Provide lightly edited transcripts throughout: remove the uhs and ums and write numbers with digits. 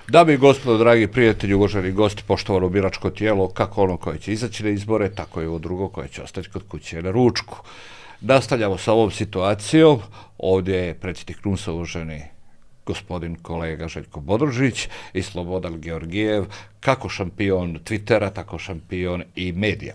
Dame i gospodo, dragi prijatelji, uvaženi gosti, poštovano biračko tijelo, kako ono koje će izaći na izbore, tako i ovo drugo koje će ostati kod kuće na ručku. Nastavljamo sa ovom situacijom. Ovdje je predsjednik NUNS-a, uvaženi gospodin kolega Željko Bodrožić i Slobodan Georgijev, kako šampion Twittera, tako šampion i medija.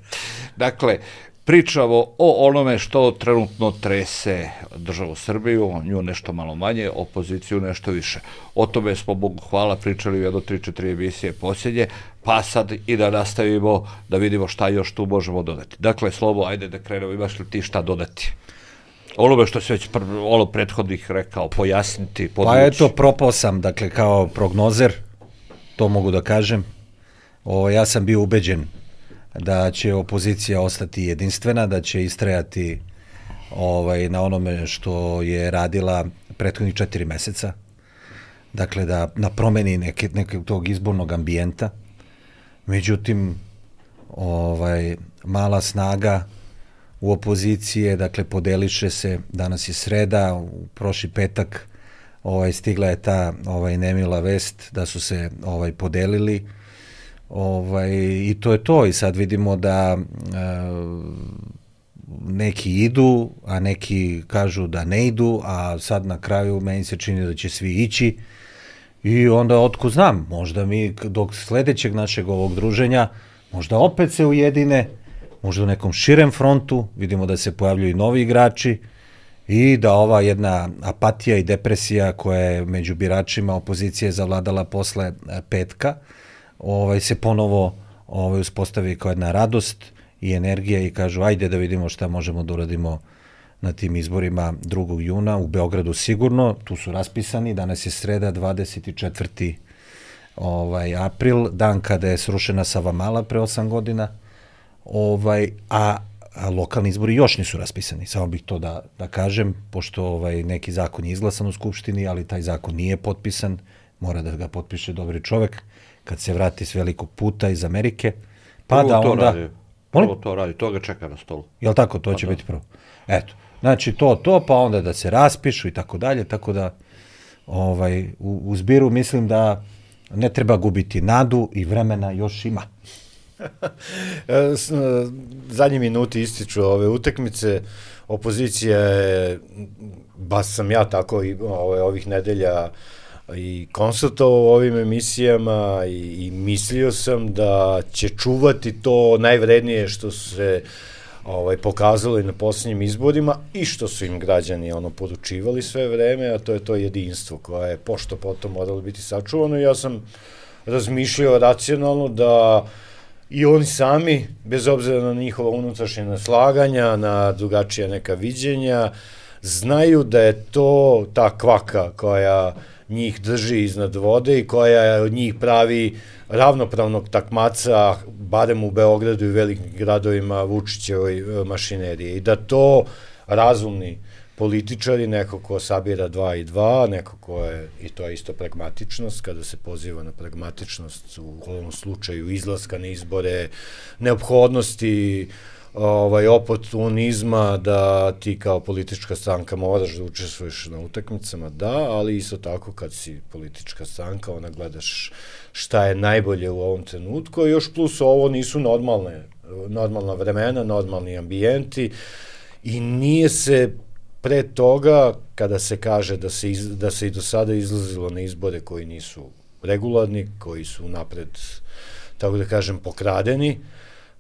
Dakle, pričamo o onome što trenutno trese državu Srbiju, nju nešto malo manje, opoziciju nešto više. O tome smo, Bogu hvala, pričali u jedno 3-4 emisije posljednje, pa sad i da nastavimo da vidimo šta još tu možemo dodati. Dakle, Slobo, ajde da krenemo, imaš li ti šta dodati? Onome što si već prethodnih rekao, pojasniti, podvući. Pa eto, propao sam, dakle, kao prognozer, to mogu da kažem. Ja sam bio ubeđen da će opozicija ostati jedinstvena, da će istrajati na onome što je radila prethodnih 4 meseca. Dakle, da na promeni nekog tog izbornog ambijenta. Međutim, mala snaga u opozicije, dakle, podeliše se, danas je sreda, u prošli petak stigla je ta nemila vest da su se podelili. I to je to. I sad vidimo da neki idu, a neki kažu da ne idu, a sad na kraju meni se čini da će svi ići. I onda, otkud znam, možda mi dok sledećeg našeg ovog druženja, možda opet se ujedine, možda u nekom širem frontu, vidimo da se pojavljuju novi igrači i da ova jedna apatija i depresija koja je među biračima opozicije zavladala posle petka, se ponovo uspostavi kao jedna radost i energija i kažu ajde da vidimo šta možemo da uradimo na tim izborima 2. juna u Beogradu sigurno, tu su raspisani, danas je sreda 24. april, dan kada je srušena Savamala pre 8 godina, a lokalni izbori još nisu raspisani, samo bih to da kažem, pošto neki zakon je izglasan u Skupštini, ali taj zakon nije potpisan, mora da ga potpiše dobri čovek, kad se vrati s velikog puta iz Amerike, pa da onda... Prvo to radi, to ga čeka na stolu. Jel' tako, to će biti prvo? Eto, znači to, pa onda da se raspišu i tako dalje, tako da u zbiru mislim da ne treba gubiti nadu i vremena još ima. Zadnji minuti ističu ove utakmice, opozicija je, baš sam ja tako i ovih nedelja i konstatovao u ovim emisijama i mislio sam da će čuvati to najvrednije što se pokazalo i na posljednjim izborima i što su im građani poručivali sve vreme, a to je to jedinstvo koje je pošto potom moralo biti sačuvano. Ja sam razmišljao racionalno da i oni sami, bez obzira na njihova unutrašnja naslaganja, na drugačija neka viđenja, znaju da je to ta kvaka koja njih drži iznad vode i koja od njih pravi ravnopravnog takmaca, barem u Beogradu i velikim gradovima, Vučićevoj mašinerije. I da to razumni političari, neko ko sabira 2 i 2, neko ko je, i to je isto pragmatičnost, kada se poziva na pragmatičnost u ovom slučaju izlaska na izbore, neophodnosti oportunizma da ti kao politička stranka moraš da učestvuješ na utakmicama, da, ali isto tako kad si politička stranka, ona gledaš šta je najbolje u ovom trenutku, a još plus ovo nisu normalna vremena, normalni ambijenti i nije se pre toga, kada se kaže da se i do sada izlazilo na izbore koji nisu regularni, koji su napred, tako da kažem, pokradeni,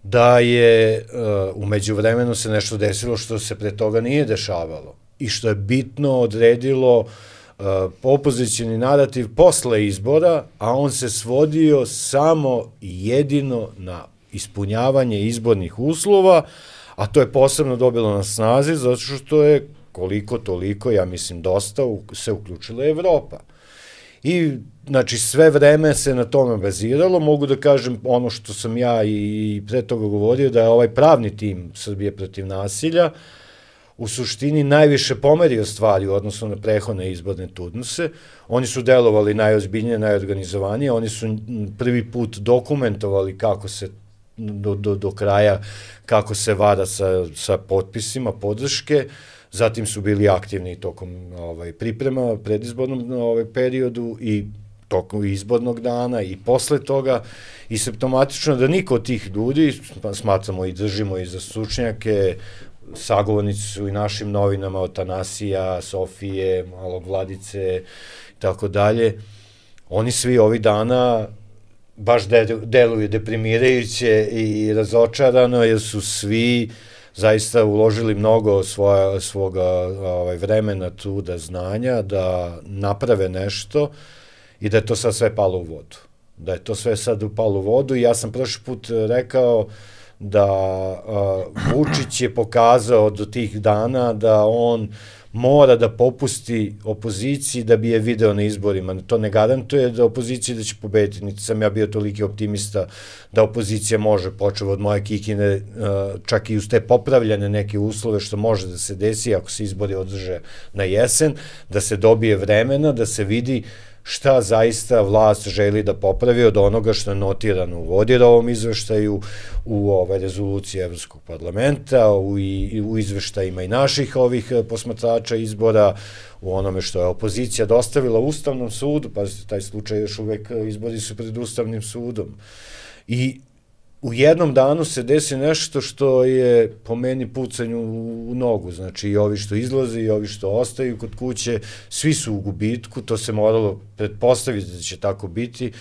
da je u međuvremenu se nešto desilo što se pre toga nije dešavalo i što je bitno odredilo opozicioni narativ posle izbora, a on se svodio samo i jedino na ispunjavanje izbornih uslova, a to je posebno dobilo na snazi zato što je koliko toliko, ja mislim dosta, se uključila Evropa. I, znači, sve vreme se na tome baziralo, mogu da kažem ono što sam ja i pre toga govorio, da je ovaj pravni tim Srbije protiv nasilja u suštini najviše pomerio stvari u odnosu na prehodne izborne turnuse. Oni su delovali najozbiljnije, najorganizovanije, oni su prvi put dokumentovali kako se do kraja, kako se vara sa potpisima podrške, zatim su bili aktivni tokom priprema, predizbornom periodu i tokom izbornog dana i posle toga, i simptomatično da niko od tih ljudi, smatramo i držimo i za stručnjake, sagovornici su i našim novinama od Tanasija, Sofije, Malog Vladice i tako dalje, oni svi ovih dana baš deluju deprimirajuće i razočarano, jer su svi zaista uložili mnogo svoga vremena, truda, znanja da naprave nešto i da je to sad sve palo u vodu. Da je to sve sad upalo u vodu i ja sam prošli put rekao da Vučić je pokazao do tih dana da on mora da popusti opoziciji da bi je video na izborima. To ne garantuje da opozicija da će pobediti, niti sam ja bio toliki optimista da opozicija može, počeo od moje Kikine, čak i uz te popravljene neke uslove što može da se desi ako se izbori održe na jesen, da se dobije vremena, da se vidi šta zaista vlast želi da popravi od onoga što je notirano u Vodirovom izveštaju, u rezoluciji Evropskog parlamenta, u izveštajima i naših ovih posmatrača izbora, u onome što je opozicija dostavila Ustavnom sudu, pa taj slučaj još uvek izbori su pred Ustavnim sudom. I u jednom danu se desi nešto što je po meni pucanju u nogu, znači i ovi što izlaze i ovi što ostaju kod kuće, svi su u gubitku, to se moralo pretpostaviti da će tako biti,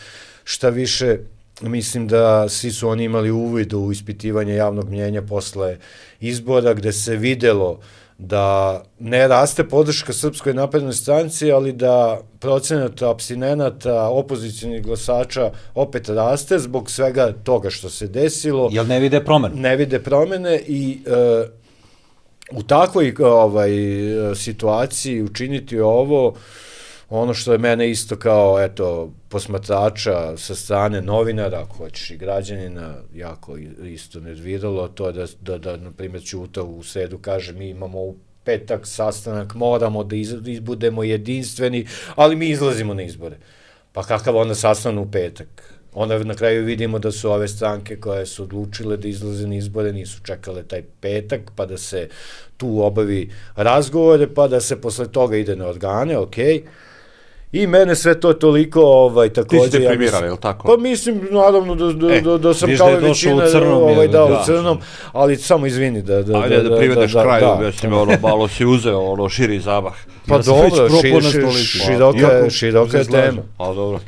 šta više, mislim da svi su oni imali uvid u ispitivanje javnog mnjenja posle izbora, gde se videlo da ne raste podrška Srpskoj naprednoj stranci, ali da procenat apstinenata, opozicionih glasača opet raste zbog svega toga što se desilo. Jel ne vide promene? Ne vide promene i u takvoj situaciji učiniti ovo, ono što je mene isto kao, posmatrača sa strane novinara, ako hoćeš i građanina, jako isto nerviralo, to je da na primjer Ćuta u sredu kaže mi imamo u petak sastanak, moramo da budemo jedinstveni, ali mi izlazimo na izbore. Pa kakav onda sastanak u petak? Onda na kraju vidimo da su ove stranke koje su odlučile da izlaze na izbore, nisu čekale taj petak, pa da se tu obavi razgovore, pa da se posle toga ide na organe, okej. I mene sve to toliko takođe... Ti si deprimiran, je li tako? Pa mislim, naravno, da sam kao i većina u crnom, ali samo izvini da... Ajde da privedeš kraju, mislim, malo si uzeo, širi zamah. Pa dobro, široka je tema. Pa dobro.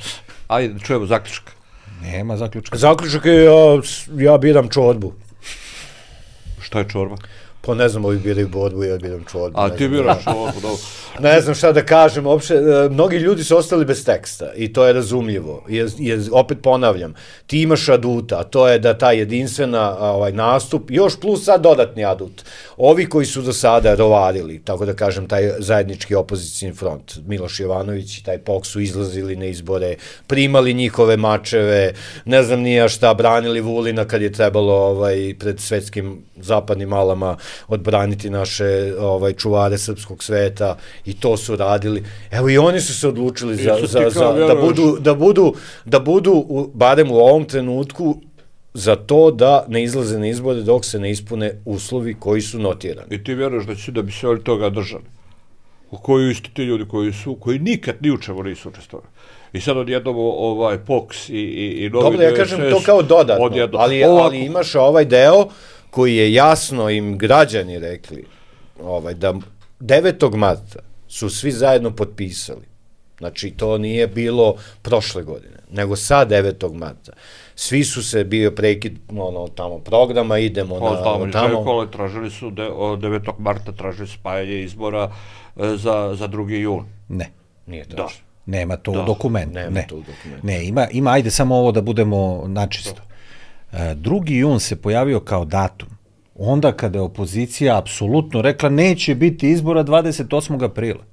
Ajde, čujemo zaključak. Nema zaključka. Zaključak je, ja biram čorbu. Šta je čorba? Pa ne znam, ovi biraju borbu, ja biram čorbu. A ti biraš čorbu, dobro. Ne znam šta da kažem, uopšte, mnogi ljudi su ostali bez teksta i to je razumljivo. Opet ponavljam, ti imaš aduta, a to je da ta jedinstvena nastup, još plus sad dodatni adut. Ovi koji su do sada rovarili, tako da kažem, taj zajednički opozicijni front, Miloš Jovanović i taj POK su izlazili na izbore, primali njihove mačeve, ne znam nija šta, branili Vulina kad je trebalo pred svetskim zapadnim alama odbraniti naše čuvare srpskog sveta i to su radili. Evo i oni su se odlučili da budu, barem u ovom trenutku, za to da ne izlaze na izbore dok se ne ispune uslovi koji su notirani. I ti vjeruješ da bi se oni toga držali? U koju isti ti ljudi koji nikad ni u čemu nisu učestvovali. I sad odjednom POKS i novi... Dobro, ja kažem to kao dodatno, ali imaš ovaj deo koji je jasno im građani rekli da 9. marta su svi zajedno potpisali. Znači, to nije bilo prošle godine, nego sad 9. marta. Svi su se bio prekid tamo programa, idemo na tamo. Tražili su 9. marta tražili spajanje izbora za 2. jun. Ne. Nije tražio. Nema to u dokumentu. Ne, ima, ajde samo ovo da budemo načisto. 2. jun se pojavio kao datum. Onda kada je opozicija apsolutno rekla neće biti izbora 28. aprila.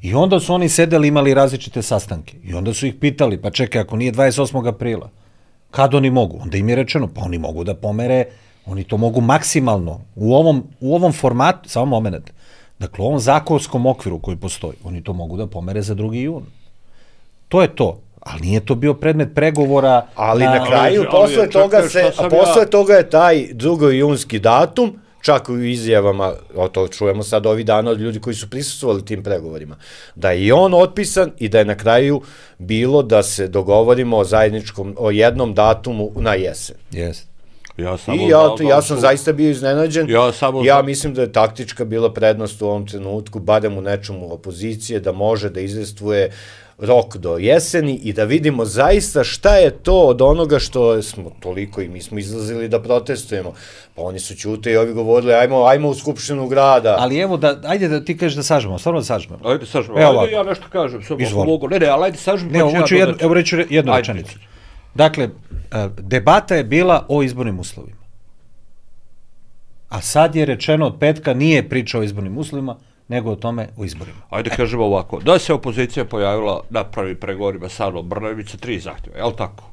I onda su oni sedeli, imali različite sastanke. I onda su ih pitali, pa čekaj, ako nije 28. aprila, kad oni mogu? Onda im je rečeno, pa oni mogu da pomere, oni to mogu maksimalno. U ovom formatu, samo moment, dakle u ovom zakonskom okviru koji postoji, oni to mogu da pomere za 2. jun. To je to. Ali nije to bio predmet pregovora. Ali na kraju, posle toga je taj 2. junski datum čak u izjavama, to čujemo sad ovih dana od ljudi koji su prisustvovali tim pregovorima, da je i on otpisan i da je na kraju bilo da se dogovorimo o zajedničkom, o jednom datumu na jesen. Jeste. Ja sam zaista bio iznenađen. Ja mislim da je taktička bila prednost u ovom trenutku, barem u nečemu opozicije, da može da izvestvuje rok do jeseni i da vidimo zaista šta je to od onoga što smo toliko i mi smo izlazili da protestujemo. Pa oni su ćute i ovi govorili ajmo u Skupštinu grada. Ali evo, ajde da ti kažeš da sažmemo, stvarno da sažmemo. Ajde sažmemo, ajde ja nešto kažem. Ne, ali ajde sažmemo. Evo reću jednu rečenicu. Dakle, debata je bila o izbornim uslovima. A sad je rečeno od petka nije priča o izbornim uslovima, nego o tome o izborima. Ajde kažemo ovako, da se opozicija pojavila na prvim pregovorima sa Anom Brnabić sa 3 zahtjeva, je li tako?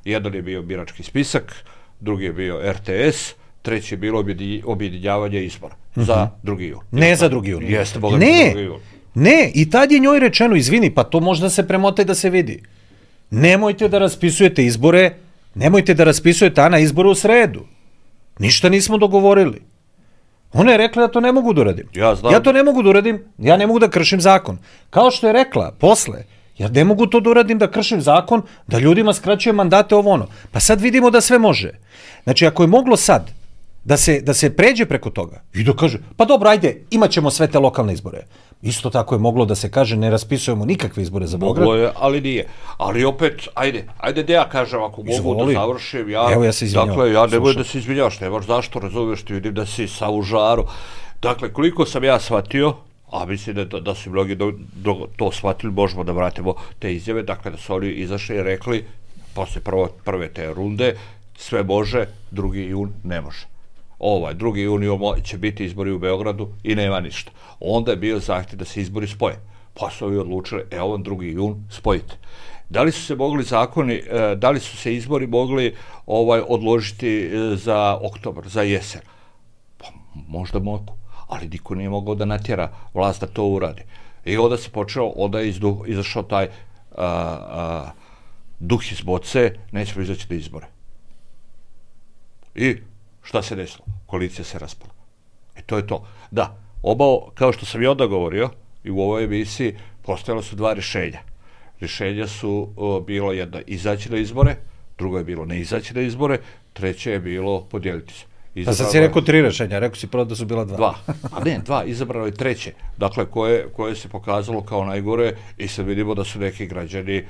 Jedan je bio birački spisak, drugi je bio RTS, treći je bilo objedinjavanje izbora za 2. jun. Ne za 2. jun. Jeste, Boga mi 2. jun. Ne, i tad je njoj rečeno, izvini, pa to možda se premote da se vidi. Nemojte da raspisujete izbore, nemojte da raspisujete Ana izbore u sredu. Ništa nismo dogovorili. Ona je rekla da to ne mogu da uradim. Ja to ne mogu da uradim, ja ne mogu da kršim zakon. Kao što je rekla posle, ja ne mogu to da uradim da kršim zakon, da ljudima skraćujem mandate ovo ono. Pa sad vidimo da sve može. Znači, ako je moglo sad da se pređe preko toga i da kaže, pa dobro, ajde, imat ćemo sve te lokalne izbore. Isto tako je moglo da se kaže, ne raspisujemo nikakve izbore za Beograd. Moglo je, ali nije. Ali opet, ajde da ja kažem, ako mogu da završim, ja se izvinjavam. Dakle, ja ne bojim da se izvinjavaš, nemaš zašto, razumiješ, ti vidim da si sa u žaru. Dakle, koliko sam ja shvatio, a mislim da su mnogi to shvatili, možemo da vratimo te izjave, dakle da su oni izašli i rekli, posle prve te runde, sve može, 2. jun ne može. 2. jun će biti izbori u Beogradu i nema ništa. Onda je bio zahtjev da se izbori spoje. Pa su ovi odlučili, 2. jun spojite. Da li su se mogli zakoni, da li su se izbori mogli odložiti za oktobar, za jesen? Pa možda mogu, ali niko nije mogao da natjera vlast da to uradi. I onda se počeo, onda je izašao taj duh iz boce, nećemo izaći na izbore. I šta se desilo? Koalicija se raspala. I to je to. Da, kao što sam i onda govorio, i u ovoj emisiji, postojala su 2 rješenja. Rješenja su bilo jedno izaći na izbore, drugo je bilo ne izaći na izbore, treće je bilo podijeliti se. Pa sad si rekao 3 rješenja, rekao si prvo da su bila 2. A ne, 2, izabrano je treće. Dakle, koje se pokazalo kao najgore i sad vidimo da su neki građani,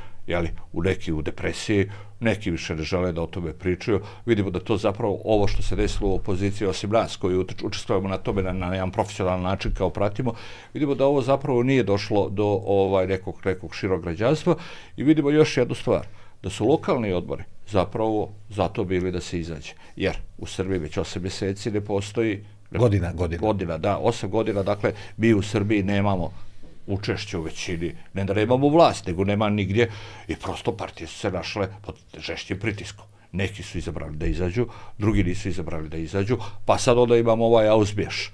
neki u depresiji, neki više ne žele da o tome pričaju. Vidimo da to zapravo ovo što se desilo u opoziciji, osim nas koji učestvujemo na tome na jedan profesionalan način kao pratimo, vidimo da ovo zapravo nije došlo do nekog širog građanstva i vidimo još jednu stvar, da su lokalni odbori zapravo zato bili da se izađe. Jer u Srbiji već 8 mjeseci ne postoji... Godina. Da, 8 godina, dakle, mi u Srbiji nemamo učešće u većini, ne da nemamo vlast, nego nema nigdje i prosto partije su se našle pod žešćim pritiskom. Neki su izabrali da izađu, drugi nisu izabrali da izađu, pa sad onda imamo ovaj ausbješ.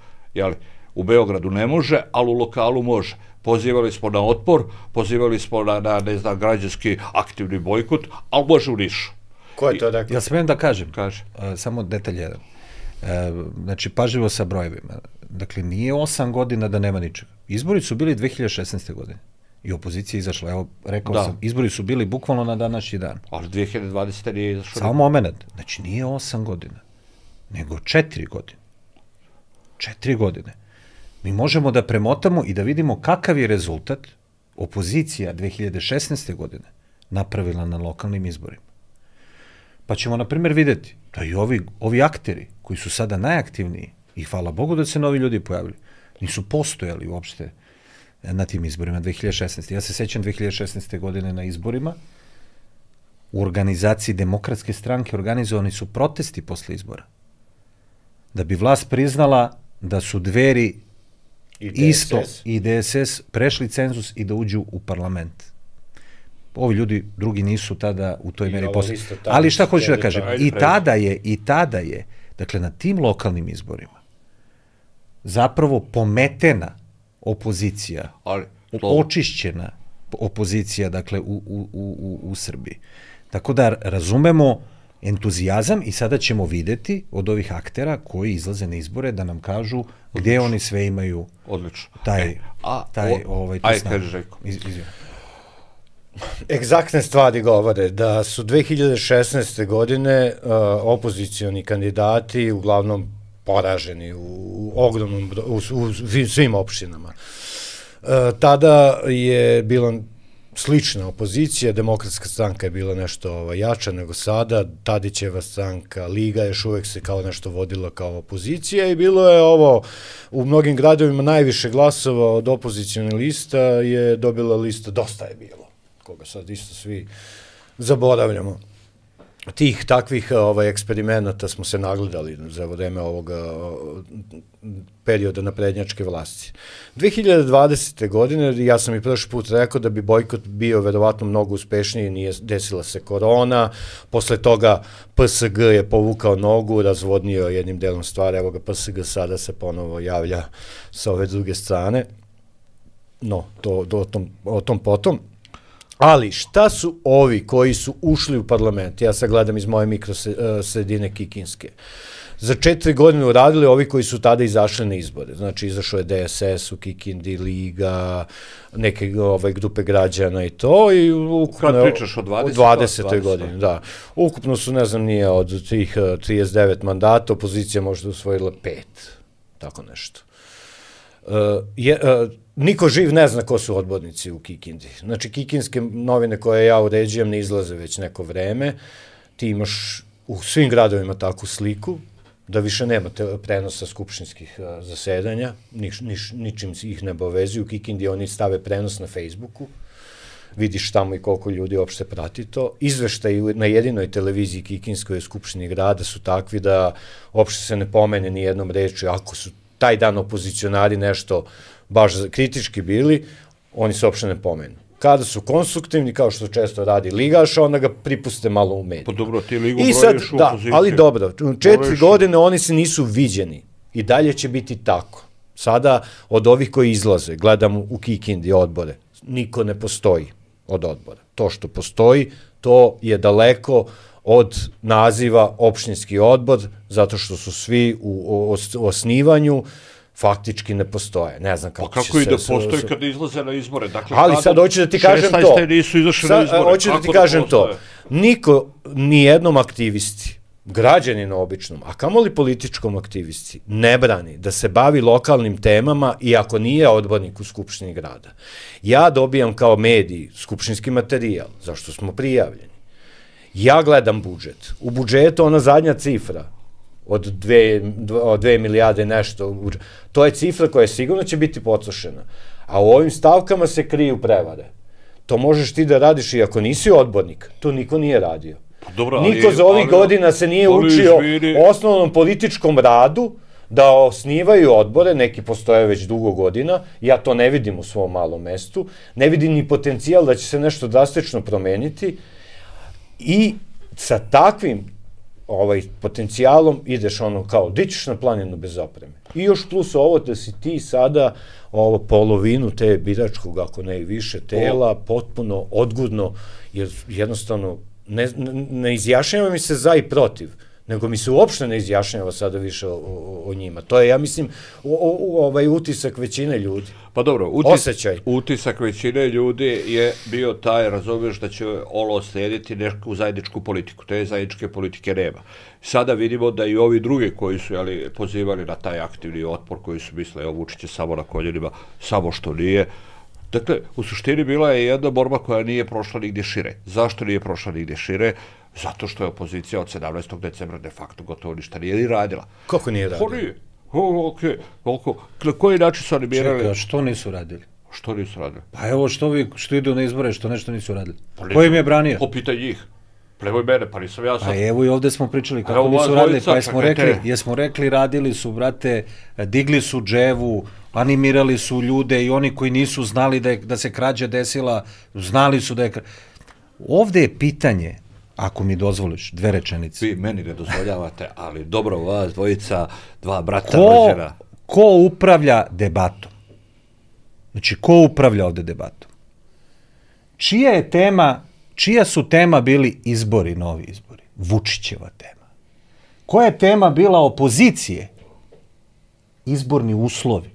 U Beogradu ne može, ali u lokalu može. Pozivali smo na otpor, pozivali smo na građanski aktivni bojkot, ali može u Nišu. Ko je to rekao? Ja smijem da kažem? Kaže. Samo detalj jedan. Znači, pažljivo sa brojevima. Dakle, nije 8 godina da nema ničega. Izbori su bili 2016. godine. I opozicija je izašla. Evo, rekao sam, izbori su bili bukvalno na današnji dan. Ali 2020. nije izašla. Samo moment. Znači, nije 8 godina, nego 4 godine. 4 godine. Mi možemo da premotamo i da vidimo kakav je rezultat opozicija 2016. godine napravila na lokalnim izborima. Pa ćemo, na primjer, vidjeti da i ovi akteri koji su sada najaktivniji, i hvala Bogu da se novi ljudi pojavili, nisu postojali uopšte na tim izborima 2016. Ja se sećam 2016. godine na izborima, u organizaciji Demokratske stranke organizovani su protesti posle izbora. Da bi vlast priznala da su Dveri isto i DSS prešli cenzus i da uđu u parlament. Ovi ljudi drugi nisu tada u toj meri posle. Ali šta hoću da kažem? I tada je, dakle, na tim lokalnim izborima zapravo pometena opozicija, očišćena opozicija, dakle, u Srbiji. Tako da razumemo entuzijazam i sada ćemo videti od ovih aktera koji izlaze na izbore da nam kažu gdje oni sve imaju odlično. Ajde, kaži Željko. Egzaktne stvari govore da su 2016. godine opozicioni kandidati uglavnom poraženi u ogromnom u svim opštinama. Tada je bila slična opozicija, Demokratska stranka je bila nešto jača nego sada, Tadićeva stranka, Liga još uvek se kao nešto vodila kao opozicija i bilo je ovo, u mnogim gradovima najviše glasova od opozicijone lista je dobila lista Dosta je bilo, koga sad isto svi zaboravljamo. Tih takvih eksperimenata smo se nagledali za vreme ovoga perioda naprednjačke vlasti. 2020. godine, ja sam i prošli put rekao da bi bojkot bio verovatno mnogo uspešniji, nije desila se korona, posle toga PSG je povukao nogu, razvodnio jednim delom stvari, evo ga PSG sada se ponovo javlja sa ove druge strane, no, o tom potom. Ali šta su ovi koji su ušli u parlament, ja sad gledam iz moje mikrosredine Kikinske, za 4 godine uradili ovi koji su tada izašli na izbore, znači izašao je DSS u Kikindi, Liga, neke grupe građana i to, i ukupno... Kad pričaš o 20. godini, da. Ukupno su, ne znam, nije od tih 39 mandata, opozicija možda usvojila 5, tako nešto. Niko živ ne zna ko su odbornici u Kikindi. Znači, kikinske novine koje ja uređujem ne izlaze već neko vreme. Ti imaš u svim gradovima takvu sliku, da više nema prenosa skupštinskih zasedanja, ničim ih ne obavezuju. U Kikindi oni stave prenos na Facebooku, vidiš tamo i koliko ljudi uopšte prati to. Izveštaji na jedinoj televiziji Kikinskoj skupštini grada su takvi da uopšte se ne pomene ni jednom rečju. Ako su taj dan opozicionari nešto baš kritički bili, oni se uopšte ne pomenu. Kada su konstruktivni, kao što često radi ligaš, onda ga pripuste malo u mediju. Pa dobro, ti ligu brojiš u opoziciju. Ali dobro, 4 godine oni se nisu viđeni i dalje će biti tako. Sada od ovih koji izlaze, gledam u Kikindi odbore, niko ne postoji od odbora. To što postoji, to je daleko od naziva opštinski odbor, zato što su svi u osnivanju, faktički ne postoje. Ne znam kako će se... Pa kako i da postoji kada izlaze na izbore? Dakle, ali sad hoću da ti kažem to. 16. nisu izašli na izbore. Hoću da ti kažem to. Niko, nijednom aktivisti, građaninu običnom, a kamoli političkom aktivisti, ne brani da se bavi lokalnim temama i ako nije odbornik u Skupštini grada. Ja dobijam kao medij skupštinski materijal, zašto smo prijavljeni. Ja gledam budžet. U budžetu ona zadnja cifra od 2 milijarde nešto, to je cifra koja sigurno će biti potrošena. A u ovim stavkama se kriju prevare. To možeš ti da radiš i ako nisi odbornik. To niko nije radio. Niko za ovih godina se nije učio osnovnom političkom radu da osnivaju odbore, neki postoje već dugo godina, ja to ne vidim u svom malom mestu, ne vidim ni potencijal da će se nešto drastično promeniti i sa takvim potencijalom ideš kao, di ćeš na planinu bez opreme. I još plus ovo da si ti sada polovinu te biračkog, ako ne i više tela, potpuno odgudno, jer jednostavno ne izjašnjava mi se za i protiv, nego mi se uopšte ne izjašnjava sada više o njima. To je, ja mislim, utisak većine ljudi. Pa dobro, utisak većine ljudi je bio taj, razumiješ, da će ovo slijediti neku zajedničku politiku. Te zajedničke politike nema. Sada vidimo da i ovi drugi koji su pozivali na taj aktivni otpor, koji su mislili, Vučić je samo na koljenima, samo što nije. Dakle, u suštini bila je jedna borba koja nije prošla nigdje šire. Zašto nije prošla nigdje šire? Zato što je opozicija od 17. decembra de facto gotovo ništa nije ni radila. Kako nije radila? Nije. Na koji način su oni birali? Čekaj, što nisu radili? Što nisu radili? Pa evo što idu na izbore, što nešto nisu radili. Ko im je branio? Popitaj njih. Plevoj mene, pa nisam ja sad. Pa evo i ovde smo pričali kako nisu radili, pa jesmo rekli, radili su, brate, digli su dževu, animirali su ljude i oni koji nisu znali da se krađa desila, znali su da je... Ovde je pitanje, ako mi dozvoliš, 2 rečenice. Vi meni ne dozvoljavate, ali dobro vas, dvojica, 2 brata rođena. Ko upravlja debatom? Znači, ko upravlja ovde debatom? Čija su tema bili izbori, novi izbori? Vučićeva tema. Koja je tema bila opozicije? Izborni uslovi.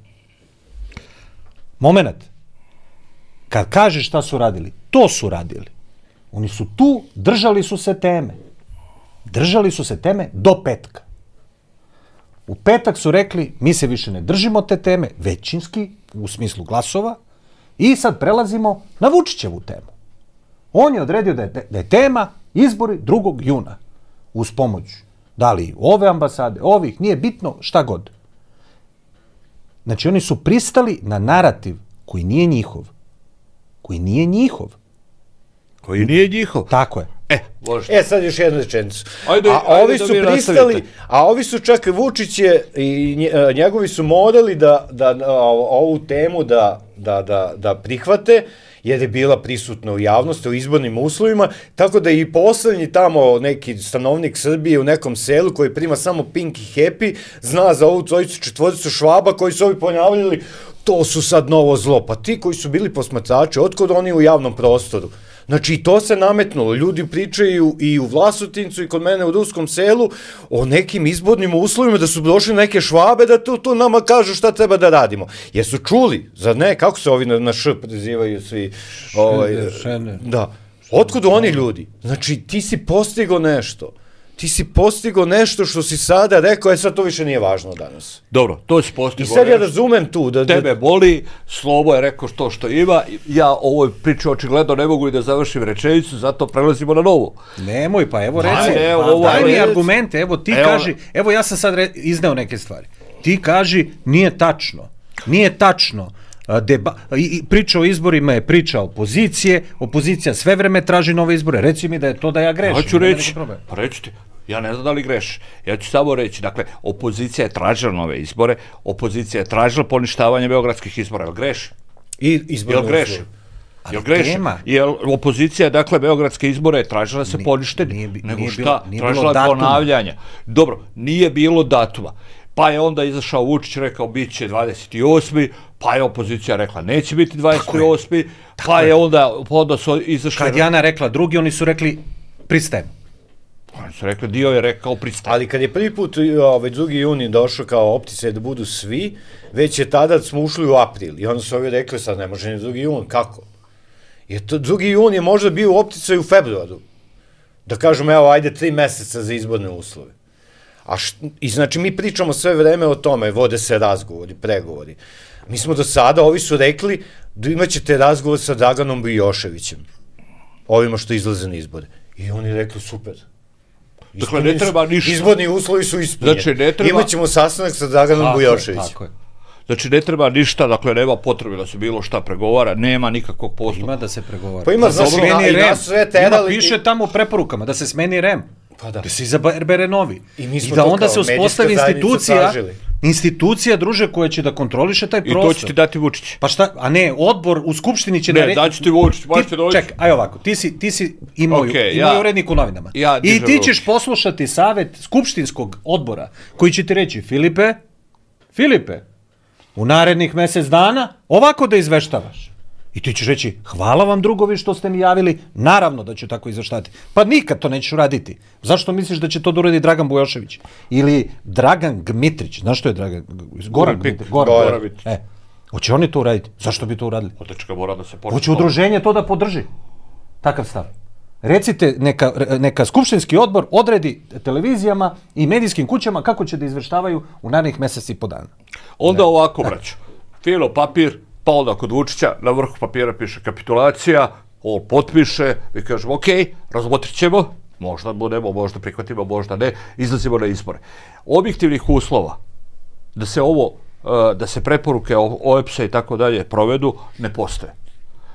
Momenat. Kad kažeš šta su radili, to su radili. Oni su tu, držali su se teme. Držali su se teme do petka. U petak su rekli, mi se više ne držimo te teme, većinski, u smislu glasova, i sad prelazimo na Vučićevu temu. On je odredio da je tema izbori 2. juna. Uz pomoć, da li ove ambasade, ovih, nije bitno, šta god. Znači, oni su pristali na narativ koji nije njihov. Koji nije njihov. Koji nije njihov. Tako je. Sad još jednu rečenicu. Ovi su pristali, a ovi su čak Vučić je i njegovi su morali da ovu temu da prihvate, jer je bila prisutna u javnosti, u izbornim uslovima, tako da i poslednji tamo neki stanovnik Srbije u nekom selu koji prima samo Pink i Happy, zna za ovu trojicu četvoricu Švaba koji su ovi ponavljali, to su sad novo zlo. Pa ti koji su bili posmatrači, otkud oni u javnom prostoru? Znači, i to se nametnulo. Ljudi pričaju i u Vlasotincu i kod mene u Ruskom selu o nekim izbornim uslovima, da su došli neke Švabe da tu nama kažu šta treba da radimo. Jesu čuli? Zar ne? Kako se ovi na š prezivaju svi? Da. Otkud oni ljudi? Znači, ti si postigao nešto. Ti si postigao nešto što si sada rekao, sad to više nije važno danas. Dobro, to si postigao. I sad ja razumem tu. Tebe boli, Slobo je rekao to što ima, ja ovoj priči očigledno ne mogu i da završim rečenicu, zato prelazimo na novo. Nemoj, pa evo reci, daj mi argumente, evo ti kaži, evo ja sam sad izneo neke stvari. Ti kaži, nije tačno. Priča o izborima je priča opozicije, opozicija sve vreme traži nove izbore, reci mi da je to da ja grešim. Hoću reći, pa reći ti, ja ne znam da li greš, ja ću samo reći, dakle, opozicija je tražila nove izbore, opozicija je tražila poništavanje beogradskih izbora, jel greš? Jel greš? Jel greš? Jel opozicija, dakle, beogradske izbore je tražila da se ponište, nego šta? Tražila ponavljanja. Dobro, nije bilo datuma. Pa je onda izašao Vučić, rekao bit će 28. Pa je opozicija rekla neće biti 28. Pa je onda su izašli... Kad Jana rekla drugi, oni su rekli pristajem. Oni su rekli, dio je rekao pristajem. Ali kad je prvi put 2. juni došao kao optice da budu svi, već je tada smo ušli u april. I onda su ovi rekli, sad ne može ni 2. jun, kako? Jer 2. jun je možda bio u optice u februaru. Da kažemo, evo, ajde 3 meseca za izborne uslove. I znači mi pričamo sve vreme o tome, vode se razgovori, pregovori. Mi smo do sada, ovi su rekli da imaćete razgovor sa Draganom Bujoševićem, ovima što izlaze na izbore. I oni rekli super. Dakle, ne treba ništa. Izborni uslovi su ispunjeni. Znači, ne treba... Imaćemo sastanak sa Draganom Bujoševićem. Tako je. Znači, ne treba ništa, dakle, nema potrebe da se bilo šta pregovara, nema nikakvog postupka. Ima da se pregovara. Pa ima, znači, i nas sve terali... Ima, piše tamo u preporukama da se smeni REM. Pa da. Da se izabere novi. I da onda se uspostavi institucija, druže, koja će da kontroliše taj prostor. I to će ti dati Vučić. Pa šta, a ne, odbor u Skupštini će... Ne, daći ti Vučić, možete doći. Čekaj, aj ovako, ti si imao urednik u novinama. I ti ćeš poslušati savet Skupštinskog odbora, koji će ti reći, Filipe, u narednih mesec dana ovako da izveštavaš. I ti ćeš reći, hvala vam drugovi što ste mi javili, naravno da ću tako izveštavati. Pa nikad to nećeš uraditi. Zašto misliš da će to da uradi Dragan Bujošević? Ili Dragan Gmitrić, znaš što je Dragan? Goran Gmitrić. Hoće oni to uraditi? Zašto bi to uradili? Otečka mora da se počne. Hoće udruženje to da podrži. Takav stav. Recite, neka skupštinski odbor odredi televizijama i medijskim kućama kako će da izveštavaju u narednih meseci i po dana. Onda ovako, braćo. Filo papir, pa onda kod Vučića, na vrhu papira piše kapitulacija, on potpiše, mi kažemo, ok, razmotrit ćemo, možda budemo, možda prihvatimo, možda ne, izlazimo na izbore. Objektivnih uslova da se preporuke OEBS-a i tako dalje provedu, ne postoje.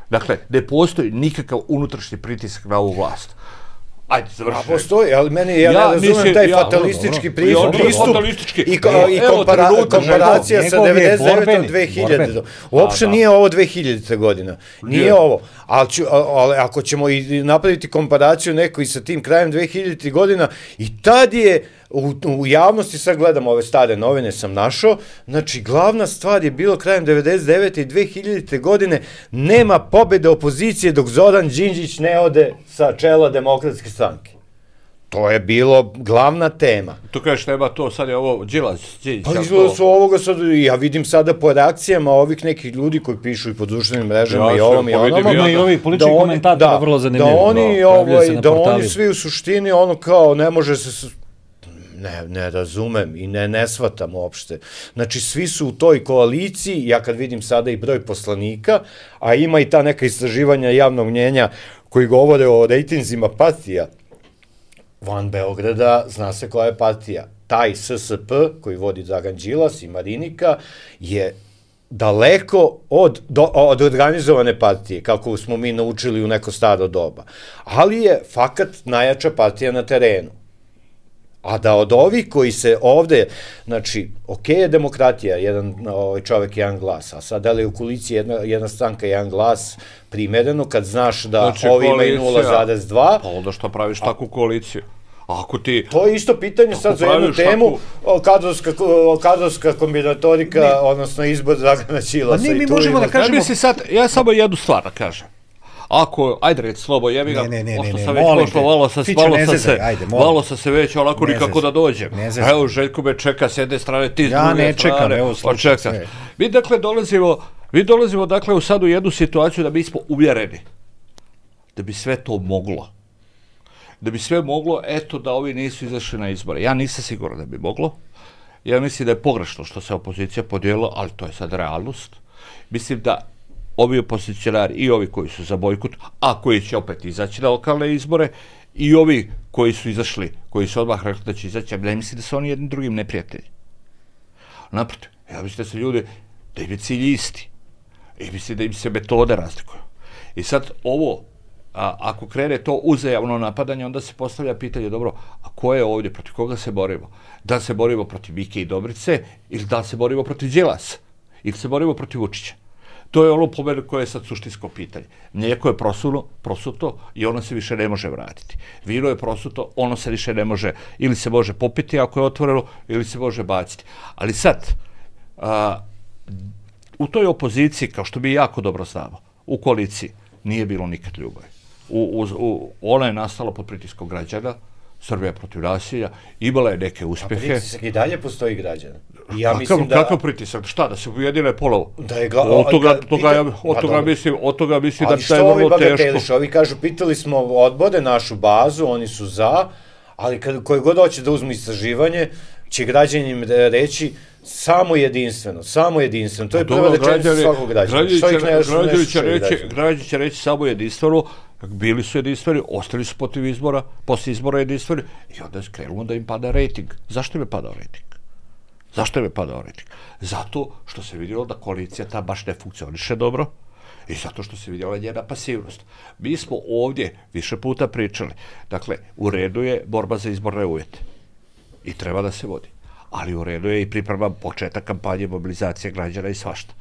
Dakle, ne postoji nikakav unutrašnji pritisak na ovu vlast. Ajde, završi. A postoji, ali meni, ja ne razumem taj fatalistički pristup i komparacija sa 99. 2000. Uopšte nije ovo 2000. godina. Nije ovo. Ali ako ćemo i napraviti komparaciju neko i sa tim krajem 2000. godina, i tad je u javnosti, sad gledam ove stare novine, sam našao, znači glavna stvar je bilo krajem 99. i 2000. godine, nema pobjede opozicije dok Zoran Đinđić ne ode sa čela Demokratske stranke. To je bilo glavna tema. Tu kažeš treba to, sad je ovo Đilas. Pa izgleda su ovoga sad, ja vidim sada po reakcijama ovih nekih ljudi koji pišu i po društvenim mrežama i ovom i onom. Ima i ovih političkih komentatora, vrlo zanimljivo. Da oni svi u suštini ono kao ne može se... Ne razumem i ne shvatam uopšte. Znači, svi su u toj koaliciji, ja kad vidim sada i broj poslanika, a ima i ta neka istraživanja javnog mnjenja koji govore o rejtinzima partija, van Beograda zna se koja je partija. Taj SSP koji vodi Dragan Đilas i Marinika je daleko od organizovane partije, kako smo mi naučili u neko staro doba. Ali je fakat najjača partija na terenu. A da od ovih koji se ovde, znači, ok je demokratija, jedan čovek, jedan glas, a sad da li je u koaliciji jedna stranka, jedan glas primereno, kad znaš da ovi imaju 0,2... Pa onda što praviš takvu koaliciju? Ako ti... To je isto pitanje sad za jednu temu, kadrovska kombinatorika, odnosno izbor Dragana Đilasa. Pa mi možemo da kažemo... Ja samo jednu stvar da kažem. Ako, ajde reći slobo, jebi ga, pošto sam već pošlo, malo sam se već onako nikako da dođem. Evo, Željko me čeka s jedne strane, ti s druge strane. Ja ne čekam, evo, slušaj sve. Mi dakle dolazimo dakle sad u jednu situaciju da mi smo uvjereni da bi sve to moglo. Da bi sve moglo, eto da ovi nisu izašli na izbore. Ja nisam siguran da bi moglo. Ja mislim da je pogrešno što se opozicija podijelila, ali to je sad realnost. Mislim da ovi opozicionari i ovi koji su za bojkot, a koji će opet izaći na lokalne izbore, i ovi koji su izašli, koji su odmah rekli da će izaći, ja ne mislim da su oni jednim drugim neprijatelji. Naprotiv, ja mislim da se ljudi, da im je cilj isti. I mislim da im se metode razlikuju. I sad ovo, ako krene to uzajamno napadanje, onda se postavlja pitanje, dobro, a ko je ovdje, protiv koga se borimo? Da li se borimo protiv Mike i Dobrice, ili da li se borimo protiv Đilasa, ili se borimo protiv Vučića? To je ono po mene koje je sad suštinsko pitanje. Mlijeko je prosuto i ono se više ne može vratiti. Vino je prosuto, ono se više ne može, ili se može popiti ako je otvoreno, ili se može baciti. Ali sad, u toj opoziciji, kao što mi jako dobro znamo, u koaliciji nije bilo nikad ljubavi. Ona je nastala pod pritiskom građana, Srbija protiv nasilja, imala je neke uspjehe. A pritisak i dalje postoji građana. Kakav pritisak? Šta, da se ujedine polovo? Od toga mislim da je vrlo teško. Ovi kažu, pitali smo odbore, našu bazu, oni su za, ali koji god hoće da uzmu istraživanje, će građanin reći samo jedinstveno. To je prva rečenica svakog građana. Građani će reći samo jedinstveno, bili su jedinstveni, ostali su posle izbora jedinstveni i onda je krenulo da im pada rejting. Zašto im je padao rejting? Zato što se vidjelo da koalicija ta baš ne funkcioniše dobro i zato što se vidjela njena pasivnost. Mi smo ovdje više puta pričali. Dakle, u redu je borba za izborne uvjete i treba da se vodi. Ali u redu je i priprema početak kampanje, mobilizacije građana i svašta.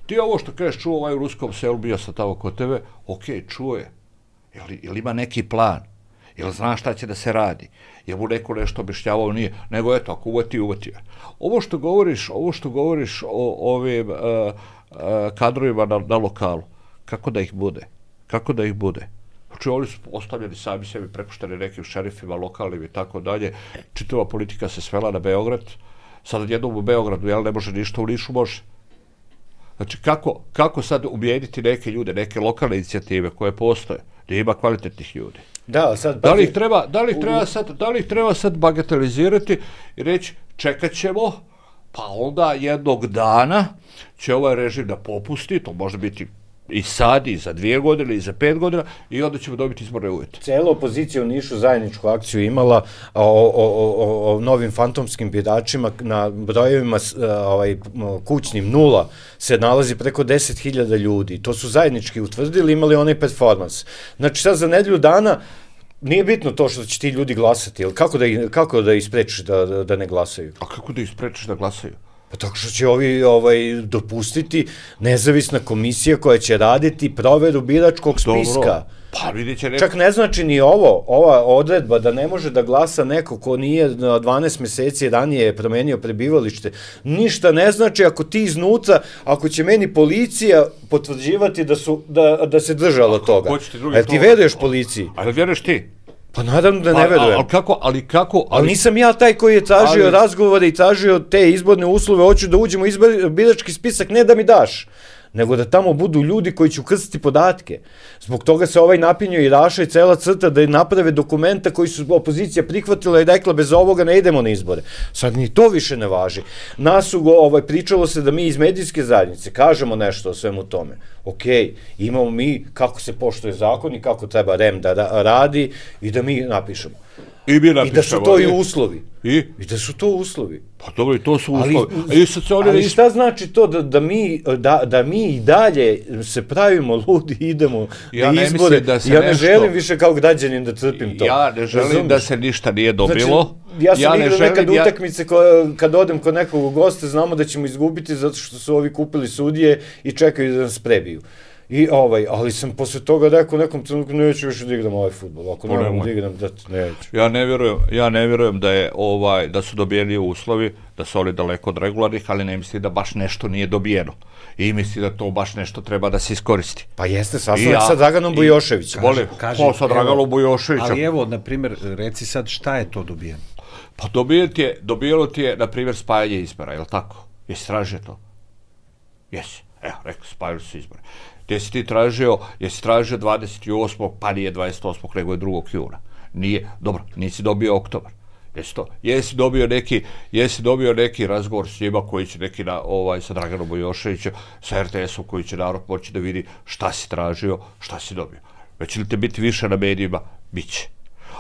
Ti ovo što kažeš, čuo ovaj u ruskom selu, bio sam tamo kod tebe, ok, čuo je. Jel ima neki plan? Jel zna šta će da se radi? Jel mu neko nešto objašnjavao? Nije. Nego eto, ako uvati. Ovo što govoriš o ovim kadrovima na lokalu, kako da ih bude? Znači, oni su ostavljeni sami sebi, prepušteni nekim šerifima, lokalnim i tako dalje. Čitava politika se svela na Beograd. Sad jednom u Beogradu, jel ne može ništa, u Nišu može. Znači, kako sad ubijediti neke ljude, neke lokalne inicijative koje postoje, gdje ima kvalitetnih ljudi? Da li ih treba sad bagatelizirati i reći čekat ćemo, pa onda jednog dana će ovaj režim da popusti, to može biti i sad, i za 2 godine, i za 5 godina, i onda ćemo dobiti izborne uvjete. Cela opozicija u Nišu zajedničku akciju imala o novim fantomskim biračima na brojevima kućnim 0 se nalazi preko 10.000 ljudi. To su zajednički utvrdili, imali onaj performans. Znači sad za nedelju dana nije bitno to što će ti ljudi glasati, ali kako da ih sprečiš da ne glasaju? A kako da ih sprečiš da glasaju? Pa tako što će ovi dopustiti nezavisna komisija koja će raditi proveru biračkog spiska. Pa vidjet će neko... Čak ne znači ni ova odredba da ne može da glasa neko ko nije 12 meseci ranije promenio prebivalište. Ništa ne znači ako ti iznutra, ako će meni policija potvrđivati da se držalo toga. Jel ti veruješ policiji? Ali vjeruješ ti? Pa naravno da ne verujem. Ali kako? Ali nisam ja taj koji je tražio razgovore i tražio te izborne uslove, hoću da uđemo u birački spisak, ne da mi daš, nego da tamo budu ljudi koji će ukrstiti podatke. Zbog toga se ovaj napinio i Raša i cela crta da naprave dokumenta koji su opozicija prihvatila i rekla bez ovoga ne idemo na izbore. Sad ni to više ne važi. Nas su pričalo se da mi iz medijske zajednice kažemo nešto o svemu tome. Okej, imamo mi kako se poštuje zakon i kako treba REM da radi i da mi napišemo. I da su to i uslovi. I da su to uslovi. Pa dobro, i to su uslovi. Ali šta znači to da mi i dalje se pravimo ludi, idemo na izbore? Ja ne želim više kao građanin da trpim to. Ja ne želim da se ništa nije dobilo. Ja sam igrao nekad utakmice kad odem kod nekog gosta, znamo da ćemo izgubiti zato što su ovi kupili sudije i čekaju da nas prebiju. Ali sam posle toga rekao nekom trenutku neću više da igram ovaj fudbal, ako ne mogu da igram, neću. Ja ne vjerujem da su dobijeni uslovi, da su oni daleko od regularnih, ali ne misli da baš nešto nije dobijeno. I misli da to baš nešto treba da se iskoristi. Pa jeste, sastanak sa Draganom Bujoševićem. Ko sa Draganom Bujoševićem? Ali evo, na primjer, reci sad šta je to dobijeno? Pa dobijeno ti je, na primjer, spajanje izbora, je li tako? Jesi tražio to? Jesi. Evo, rekao, spajali su izbore. Jesi tražio 28. pa nije 28. nego je 2. juna. Nije, dobro, nisi dobio oktobar. Jesi dobio neki razgovor s njima koji će neki sa Draganom Bujoševićem, sa RTS-om koji će narod moći da vidi šta si tražio, šta si dobio. Već li te biti više na medijima? Biće.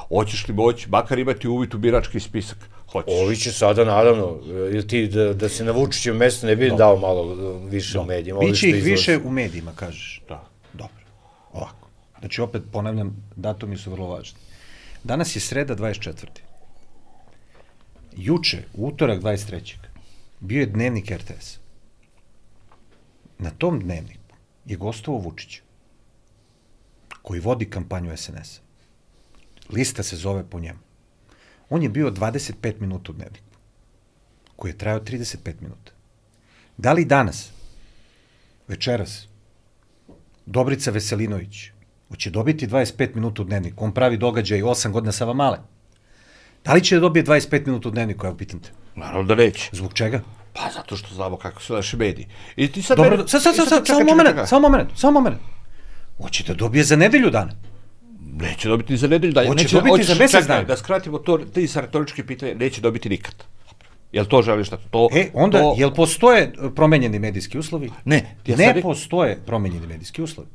Hoćeš li moći, makar imati uvid u birački spisak? Hoćeš. Ovi će sada, naravno, ili ti da se na Vučićevom mjestu ne bi dao malo više u medijima. Biće ih više u medijima, kažeš. Da. Dobro. Ovako. Znači, opet ponavljam, datumi su vrlo važni. Danas je sreda 24. Juče, u utorak 23. bio je dnevnik RTS. Na tom dnevniku je gostovao Vučić, koji vodi kampanju SNS-a. Lista se zove po njemu. On je bio 25 minuta u dnevniku, koji je trajao 35 minuta. Da li danas, večeras, Dobrica Veselinović hoće dobiti 25 minuta u dnevniku? On pravi događaj 8 godina Savamale. Da li će da dobije 25 minuta u dnevniku, evo pitam te? Naravno da neće. Zbog čega? Pa zato što znamo kako su naši mediji. Dobro, samo moment. Hoće da dobije za nedelju dana. Neće dobiti za nedelju dana. Hoće dobiti za mjesec dana. Da skratimo to, ti sa retorički pitanje, neće dobiti nikad. Jel to želiš da to... Onda, jel postoje promenjeni medijski uslovi? Ne. Ne postoje promenjeni medijski uslovi.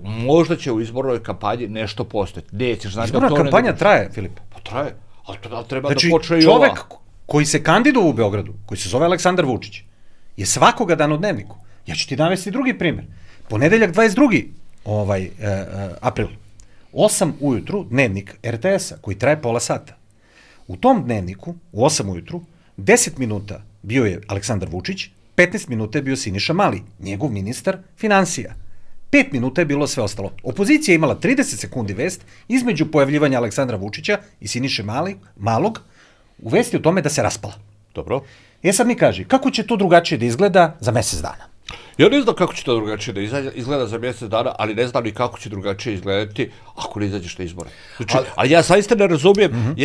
Možda će u izbornoj kampanji nešto postojati. Nećeš znati da to... Izborna kampanja traje, Filip. Pa traje, ali to treba znači, da počne i ova. Čovek koji se kandiduje u Beogradu, koji se zove Aleksandar Vučić, je svakoga dana u dnevniku. Ja ću ti navesti drugi primjer. Ponedeljak 22. April. 8 ujutru dnevnik RTS-a koji traje pola sata. U tom dnevniku, u 8 ujutru, 10 minuta bio je Aleksandar Vučić, 15 minuta je bio Siniša Mali, njegov ministar financija. 5 minuta je bilo sve ostalo. Opozicija je imala 30 sekundi vest između pojavljivanja Aleksandra Vučića i Siniše Malog u vesti o tome da se raspala. Dobro. Sad mi kaži, kako će to drugačije da izgleda za mjesec dana? Ja ne znam kako će to drugačije da izgleda za mjesec dana, ali ne znam ni kako će drugačije izgledati ako ne izađeš na izbore. Znači, ali ja zaista ne razumijem,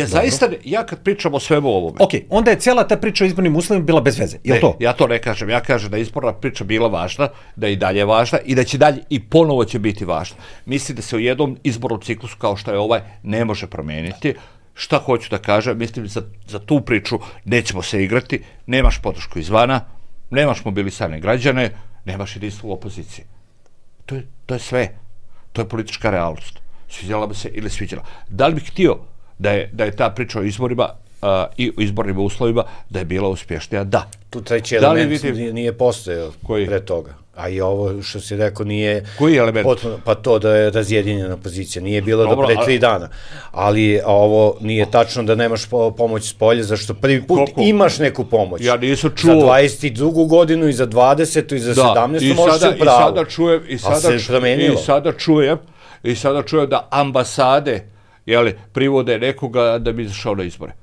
ja kad pričam o svemu ovome... Ok, onda je cijela ta priča o izbornim uslovima bila bez veze, je li to? Ja to ne kažem, ja kažem da je izborna priča bila važna, da je i dalje važna i da će dalje i ponovo će biti važna. Mislim da se u jednom izbornom ciklusu kao što je ovaj ne može promijeniti. Šta hoću da kažem, mislim za tu priču nećemo se igrati, nemaš podršku izvana, nemaš mobilisane građane, nemaš jedinstvo u opoziciji. To je sve. To je politička realnost. Sviđala bi se ili sviđala. Da li bih htio da je ta priča o izborima i o izbornim uslovima da je bila uspješnija? Da. Tu treći element nije postojao pre toga. A i ovo što si rekao nije... Koji element? Pa to da je razjedinjena opozicija. Nije bilo do pre 3 dana. Ali ovo nije tačno da nemaš pomoć s polja, zašto prvi put imaš neku pomoć. Ja nisam čuo. Za 22. godinu i za 20. i za 17. možeš se upravo. I sada čujem da ambasade privode nekoga da bi izašao na izbore.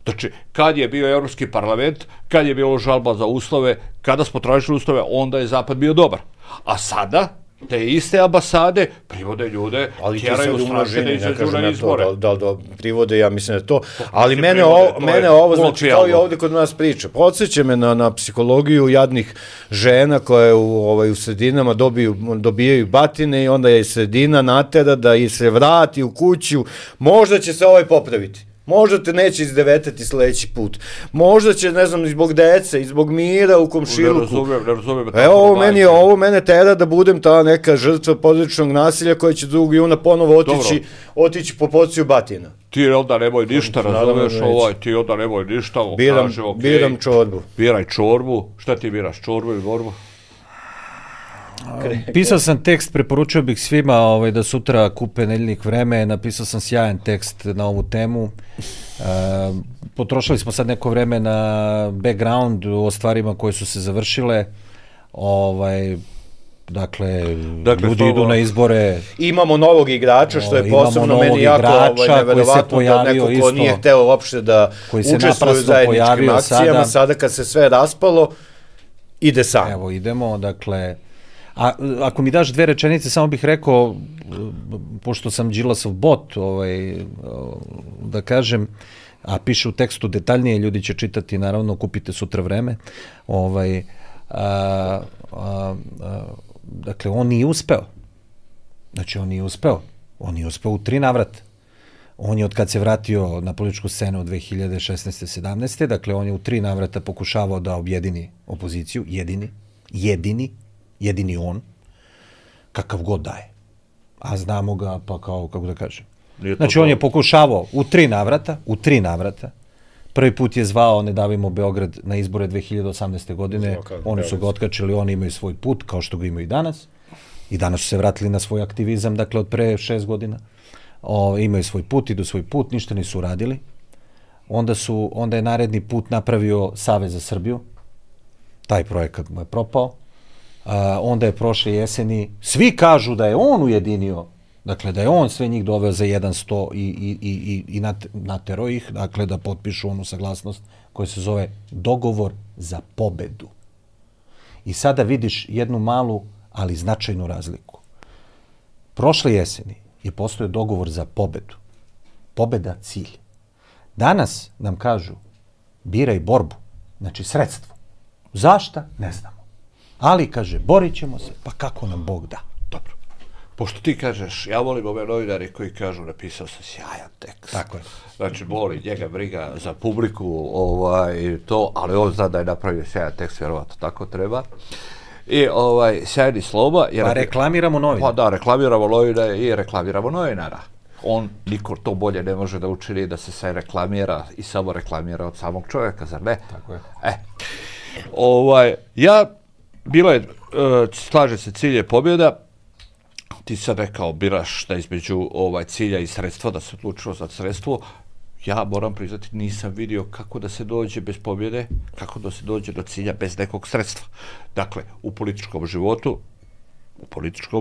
Znači, kad je bio Evropski parlament, kad je bilo žalba za uslove, kada smo tražili uslove, onda je Zapad bio dobar. A sada, te iste ambasade privode ljude, tjeraju straše da izađu na izbore. Da, privode, ja mislim da to. Ali mene ovo, znači, kao i ovde kod nas priča, podsjeća me na psihologiju jadnih žena koje u sredinama dobijaju batine i onda je sredina natera da ih se vrati u kuću. Možda će se ovaj popraviti. Možda te neće izdevetati sledeći put. Možda će, ne znam, zbog dece, i zbog mira u komšiluku. Ne razumijem. Evo, ovo mene tera da budem ta neka žrtva porodičnog nasilja koja će 2. juna ponovo otići po porciju batina. Ti onda nemoj ništa, razumiješ ti onda nemoj ništa. Biram čorbu. Biraj čorbu. Šta ti biraš, čorbu ili borbu? Pisao sam tekst, preporučio bih svima da sutra kupe Nedeljnik Vreme, napisao sam sjajan tekst na ovu temu. Potrošili smo sad neko vreme na background o stvarima koje su se završile. Dakle, ljudi idu na izbore. Imamo novog igrača, što je posebno meni jako neverovatno da neko ko nije hteo uopšte da učestvuje u zajedničkim akcijama, sada kad se sve raspalo, ide sam. Evo, idemo, dakle... A ako mi daš 2 rečenice, samo bih rekao, pošto sam Đilasov bot, da kažem, a piše u tekstu detaljnije, ljudi će čitati, naravno, kupite sutra Vreme, dakle, on nije uspeo. Znači, on nije uspeo. On je uspeo u 3 navrata. On je, od kad se vratio na političku scenu od 2016. 17. Dakle, on je u 3 navrata pokušavao da objedini opoziciju, jedini on, kakav god daje. A znamo ga, pa kao, kako da kažem. Znači, on je pokušavao u 3 navrata. Prvi put je zvao Ne davimo Beograd na izbore 2018. godine. Oni su ga otkačili, oni imaju svoj put, kao što ga imaju i danas. I danas su se vratili na svoj aktivizam, dakle, od pre 6 godina. Imaju svoj put, idu svoj put, ništa nisu uradili. Onda je naredni put napravio Savez za Srbiju. Taj projekat mu je propao. Onda je prošle jeseni, svi kažu da je on ujedinio, dakle da je on sve njih doveo za 100 i natero ih, dakle da potpišu onu saglasnost koja se zove Dogovor za pobedu. I sada vidiš jednu malu, ali značajnu razliku. Prošle jeseni je postojao dogovor za pobedu. Pobeda cilj. Danas nam kažu biraj borbu, znači sredstvo. Zašta? Ne znamo. Ali, kaže, borit ćemo se, pa kako nam Bog da. Dobro. Pošto ti kažeš, ja volim ove novinari koji kažu, napisao sam sjajan tekst. Tako je. Znači, boli njega briga za publiku, to, ali on zna da je napravio sjajan tekst, vjerovatno tako treba. I sjajni sloma. Pa reklamiramo novinara. Pa da, reklamiramo novinara i reklamiramo novinara. Niko to bolje ne može da učini da se sve reklamira i samo reklamira od samog čovjeka, zar ne? Tako je. Bilo je, slaže se, cilj je pobjeda. Ti sad rekao, biraš da između cilja i sredstva, da se odlučilo za sredstvo. Ja moram priznati, nisam vidio kako da se dođe bez pobjede, kako da se dođe do cilja bez nekog sredstva. Dakle, u političkom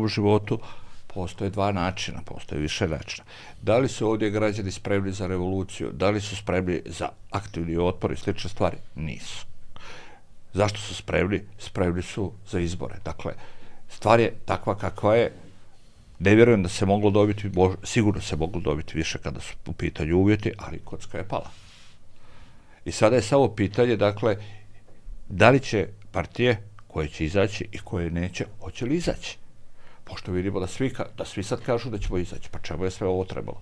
životu postoje 2 načina, postoje više načina. Da li su ovdje građani spremni za revoluciju, da li su spremni za aktivni otpor i slične stvari? Nisu. Zašto su spremni? Spremni su za izbore. Dakle, stvar je takva kakva je. Ne vjerujem da se moglo dobiti, sigurno se moglo dobiti više kada su u pitanju uvjeti, ali kocka je pala. I sada je samo pitanje, dakle, da li će partije koje će izaći i koje neće, hoće li izaći? Pošto vidimo da svi sad kažu da ćemo izaći, pa čemu je sve ovo trebalo?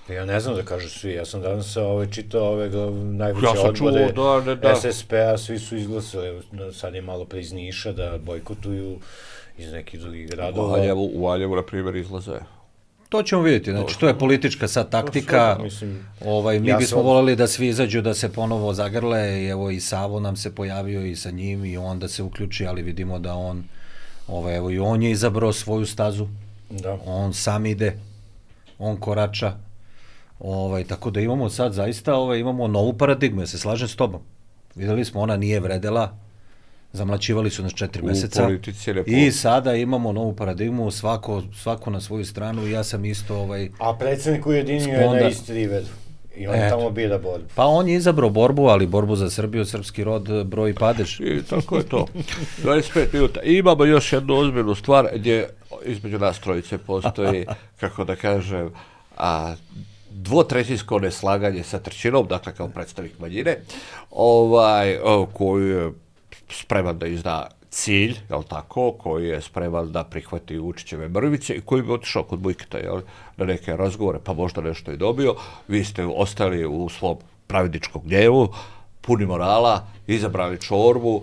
Ja ne znam da kažu svi, ja sam danas čitao najveće odbore SSP-a, svi su izglasali, sad je malo pre iz Niša da bojkotuju iz nekih drugih gradova. U Valjevu, na primjer, izlaze. To ćemo vidjeti, znači to je politička sad taktika, mi bismo voleli da svi izađu, da se ponovo zagrle, i evo i Savo nam se pojavio i sa njim i on da se uključi, ali vidimo da on, evo i on je izabrao svoju stazu, on sam ide, on korača. Tako da imamo sad zaista, imamo novu paradigmu, ja se slažem s tobom. Videli smo, ona nije vredela, zamlaćivali su nas 4 meseca i sada imamo novu paradigmu, svako na svoju stranu i ja sam isto A predsjednik ujedinio je na Istri vedu. I on tamo bira borbu. Pa on je izabrao borbu, ali borbu za Srbiju, srpski rod, broj padež. I tako je to. 25 minuta. I imamo još jednu ozbiljnu stvar gdje između nas trojice postoji, kako da kažem, dvotrećinsko neslaganje sa trećinom, dakle kao predstavnik manjine, koji je spreman da izda cilj, jel tako, koji je spreman da prihvati Vučićeve mrvice i koji bi otišao kod Bujketa, jel, na neke razgovore, pa možda nešto i dobio. Vi ste ostali u svom pravedničkom gnjevu, puni morala, izabrali čorbu,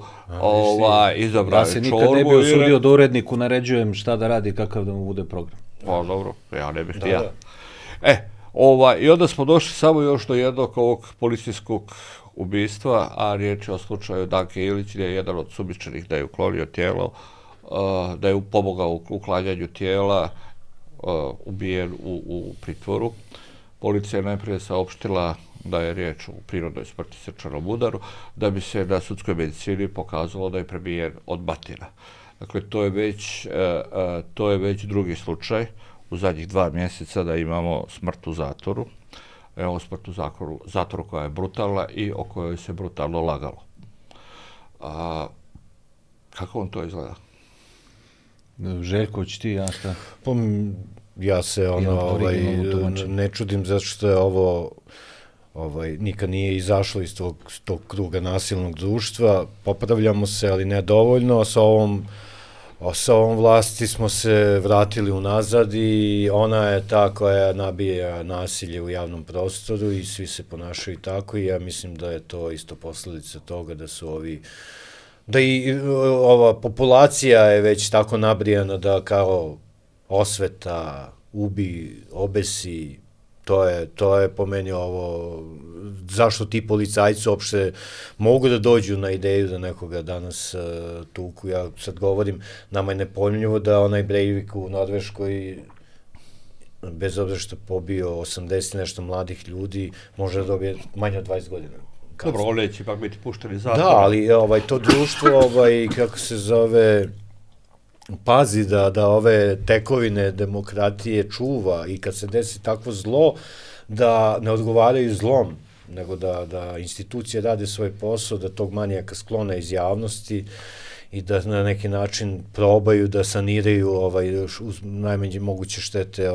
Ja se nikad ne bi usudio da uredniku naređujem šta da radi, kakav da mu bude program. Pa dobro, ja ne bih ja. I onda smo došli samo još do jednog ovog policijskog ubistva, a riječ je o slučaju Danke Ilić, gdje je jedan od sumnjičenih da je uklonio tijelo, da je pomogao u uklanjanju tijela, ubijen u pritvoru. Policija je najprije saopštila da je riječ o prirodnoj smrti, srčanom udaru, da bi se na sudskoj medicini pokazalo da je prebijen od batina. Dakle, to je već drugi slučaj u zadnjih 2 mjeseca da imamo smrt u zatvoru. Evo smrt u zatvoru koja je brutalna i o kojoj se brutalno lagalo. Kako on to izgleda? Željko, će ti, ja šta? Ja se ne čudim zato što je ovo nikad nije izašlo iz tog kruga nasilnog društva. Popravljamo se, ali ne dovoljno. Sa ovom vlasti smo se vratili unazad i ona je ta koja nabija nasilje u javnom prostoru i svi se ponašaju tako i ja mislim da je to isto posljedica toga da i ova populacija je već tako nabrijana da kao osveta, ubi, obesi, to je po meni ovo, zašto ti policajci uopšte mogu da dođu na ideju da nekoga danas tuku. Ja sad govorim, nama je nepojmljivo da onaj Breivik u Norveškoj, bez obzira što pobio 80 nešto mladih ljudi, može da dobije manje od 20 godina. Dobro, on neće ipak biti pušteni zatvor. Da, ali to društvo, kako se zove, pazi da ove tekovine demokratije čuva i kad se desi takvo zlo, da ne odgovaraju zlom, nego da institucije rade svoj posao, da tog manijaka sklone iz javnosti i da na neki način probaju da saniraju uz najmanje moguće štete